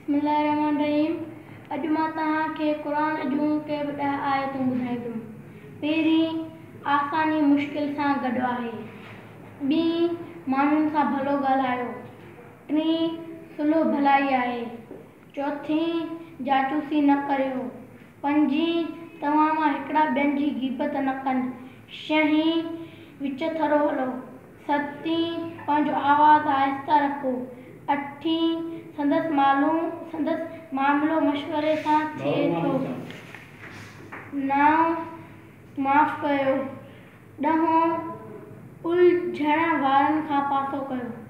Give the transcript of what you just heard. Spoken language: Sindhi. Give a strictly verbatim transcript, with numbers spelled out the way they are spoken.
بسم الله الرحمٰن الرحيم. اڄ مان توهان کي قرآن جون ڪي به ڏهه آيتون ٻڌائيندم. پهرين، آساني مشڪل سان گڏ آهي. ٻي، ماڻهن سان ڀلو ڳالهايو. ٽين، صلح ڀلائي آهي. چوٿين، جاسوسي نه ڪريو. پنجين، توهان مان هڪڙا ٻين جي غيبت نه ڪن. ڇهين، وچٿرو هلو. ستين، پنهنجو آواز آهستي رکو. اٺين، سندس معلوم سندس معاملو مشوري سان ٿئي ٿو. نو، معاف ڪيو. ڏهون، الجهڻ وارن کان پاسو ڪيو.